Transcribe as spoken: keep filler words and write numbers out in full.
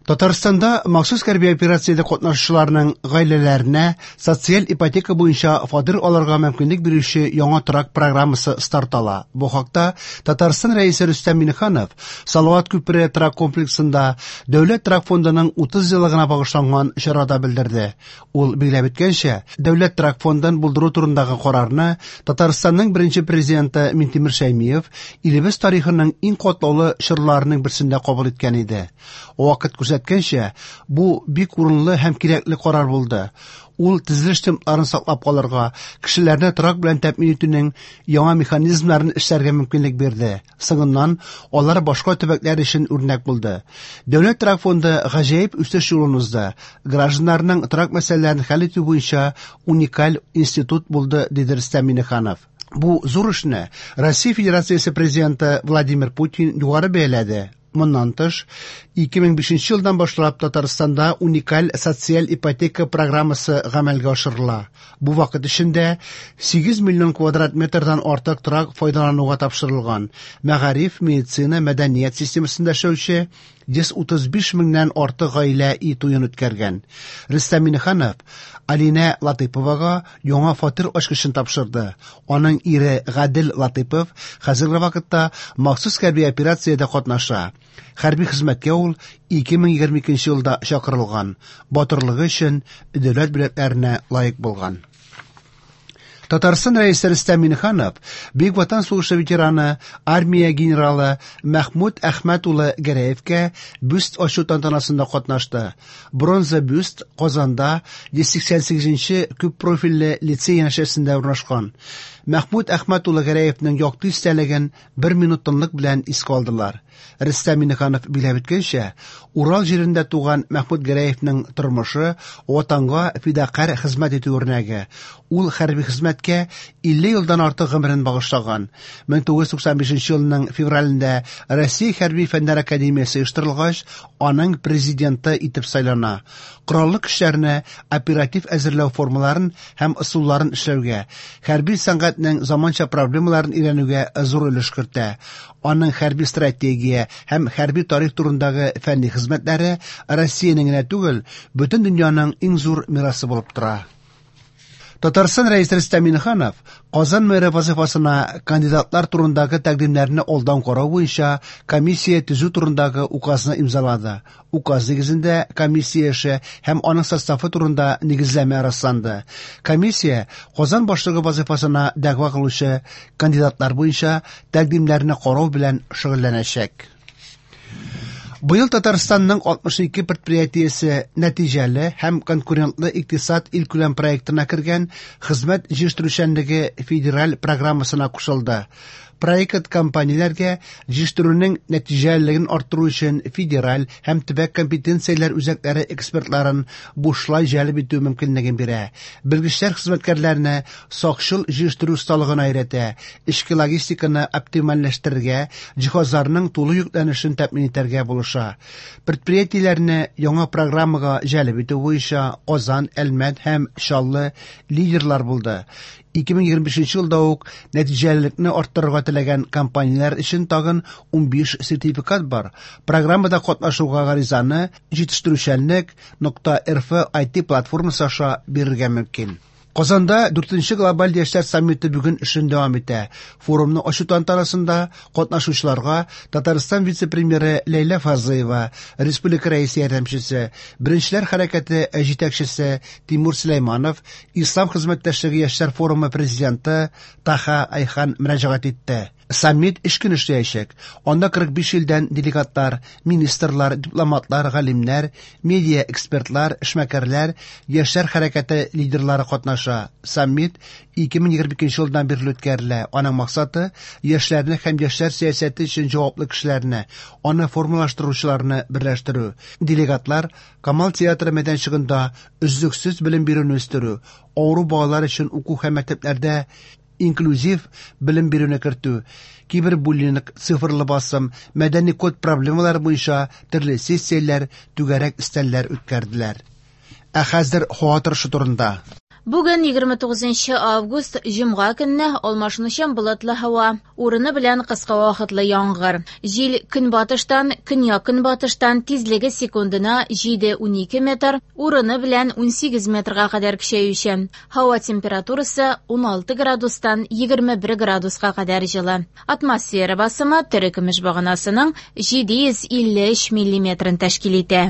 Татарстанда махсус хәрби операциядә катнашучыларның гаиләләренә социаль ипотека буенча фатир алырга мөмкинлек бирүче яңа торак программасы старт ала. Бу хакта Татарстан Рәисе Рөстәм Миңнеханов Салават күпере торак комплексында Дәүләт торак фондының утыз еллыгына багышланган чарада белдерде. Ул билгеләп үткәнчә, Дәүләт торак фондын булдыру турындагы карарны Татарстанның беренче президенты Минтимер Шәймиев илебез тарихының иң катлаулы чорларының берсендә кабул иткән иде. Вакыт күрсәткәнчә, бу бик урынлы һәм кирәкле карар булды. Ул төзелеш темпларын саклап калырга, кешеләрне торак белән тәэмин итүнең яңа механизмнарын эшләргә мөмкинлек бирде. Соңыннан алар башка төбәкләр өчен үрнәк булды. Дәүләт торак фонды гаҗәеп үсеш юлын узды. Гражданнарның торак мәсьәләләрен хәл итү буенча уникаль институт булды, диде Рөстәм Миңнеханов. Бу зур эшне Россия Федерациясе президенты Владимир Путин югары бәяләде. Моннан тыш, ике мең бишенче елдан башлап Татарстанда уникаль социаль ипотека программасы гамәлгә ашырыла. Бу вакыт эчендә сигез миллион квадрат метрдан артык торак файдалануга тапшырылган. Мәгариф, медицина, мәдәният системасында эшләүче йөз утыз биш меңнән артык гаилә өй туен үткәргән. Рөстәм Миңнеханов Алинә Латыйповага яңа фатир ачкычын тапшырды. Аның ире Гадел Латыйпов хәзерге вакытта махсус хәрби операциядә катнаша. Хәрби хезмәткә ул ике мең егерме икенче елда чакырылган. Батырлыгы өчен дәүләт бүләкләренә лаек булган. Татарстан Рәисе Рөстәм Миңнеханов Бөек Ватан сугышы ветераны, армия генералы Мәхмүт Әхмәт улы Гәрәевкә бюст ачу тантанасында катнашты. Бронза бюст Казанда йөз сиксән сигезенче күп профильле лицей янәшәсендә урнашкан. Мәхмүт Әхмәт улы Гәрәевнең якты истәлеген бер минут тынлык белән искә алдылар. Рөстәм Миңнеханов билгеләп үткәнчә, Урал җирендә туган Мәхмүт Гәрәевнең тормышы ватанга фидакарь хезмәт итү үрнәге. Ул хәрби хезмәткә илле елдан артык гомерен багышлаган. Мең тугыз йөз туксан бишенче елның февралендә Россия Хәрби Фәннәр Академиясе оештырылгач, аның президенты итеп сайлана. Кораллы көчләрне оператив әзерләү формаларын һәм ысулларын эшләүгә, хәрби сәнгатьнең заманча проблемаларын өйрәнүгә зур өлеш кертә. Аның хәрби стратегия һәм хәрби тарих турындагы фәнни хезмәтләре Россиянең генә түгел, бөтен дөньяның иң зур мирасы булып тора. Татарстан Рәисе Рөстәм Миңнеханов Казан мэры вазифасына кандидатлар турындагы тәкъдимнәрне алдан карау буенча комиссия төзү турындагы указны имзалады. Указ нигезендә комиссия эше һәм аның составы турында нигезләмә расланды. Комиссия Казан башлыгы вазифасына дәгъва кылучы кандидатлар буенча тәкъдимнәрне карау белән шөгыльләнәчәк. Быел Татарстанның алтмыш ике предприятиесе нәтиҗәле һәм конкурентлы икътисад илкүләм проектына кергән хезмәт җитештерүчәнлеге федераль программасына кушылды. Проект компанияләргә җитештерүнең нәтиҗәлелеген арттыру өчен федераль һәм төбәк компетенцияләр үзәкләре экспертларын бушлай җәлеп итү мөмкинлеген бирә. Белгечләр хезмәткәрләрне сакчыл җитештерү осталыгына өйрәтә, эчке логистиканы оптимальләштерергә, җиһазларның тулы йөкләнешен тәэмин итәргә булыша. Предприятиеләрне яңа программага җәлеп итү буенча Казан, Әлмәт һәм Чаллы лидерлар булды. Ике мең егерме бишенче елда ук нәтиҗәлелекне арттырырга теләгән компанияләр өчен тагын унбиш сертификат бар. Программада катнашуга гаризаны җитештерүчәнлек нокта эр эф ай ти платформасы аша бирергә мөмкин. Казанда дүртенче глобаль яшьләр саммиты бүген эшен дәвам итә. Форумны ачу тантанасында катнашучыларга Татарстан вице-премьеры Ләйлә Фазлыева, республика рәисе ярдәмчесе, Беренчеләр хәрәкәте җитәкчесе Тимур Сөләйманов, Ислам хезмәттәшлеге яшьләр форумы президенты Таха Айхан мөрәҗәгать итте. Саммит өч көн эшләячәк. Анда кырык биш илдән делегатлар, министрлар, дипломатлар, галимнәр, медиа экспертлар, эшмәкәрләр, яшьләр хәрәкәте лидерлары катнаша. Саммит ике мең егерме икенче елдан бирле үткәрелә. Аның максаты яшьләрне һәм яшьләр сәясәте өчен җаваплы кешеләрне, аны формалаштыручыларны берләштерү. Делегатлар Камал театры мәйданчыгында өзлексез белем бирүне үстерү, авыру балалар өчен уку һәм мәктәпләрдә инклюзив белем бирүне кертү, кибербуллинг, цифрлы басым, мәдәни код проблемалары буенча төрле сессияләр, түгәрәк өстәлләр үткәрделәр. Ә хәзер һава торышы турында. Бүген егерме тугызынчы август, җомга көнне алмашынучан болытлы һава, урыны белән кыска вакытлы яңгыр. Җил көнбатыштан, көньяк-көнбатыштан тизлеге секундына җиде-унике метр, урыны белән унсигез метрга кадәр көчәючән. Һава температурасы уналты градустан егерме бер градуска кадәр җылы. Атмосфера басымы терекөмеш баганасының җиде йөз илле өч миллиметрын тәшкил итә.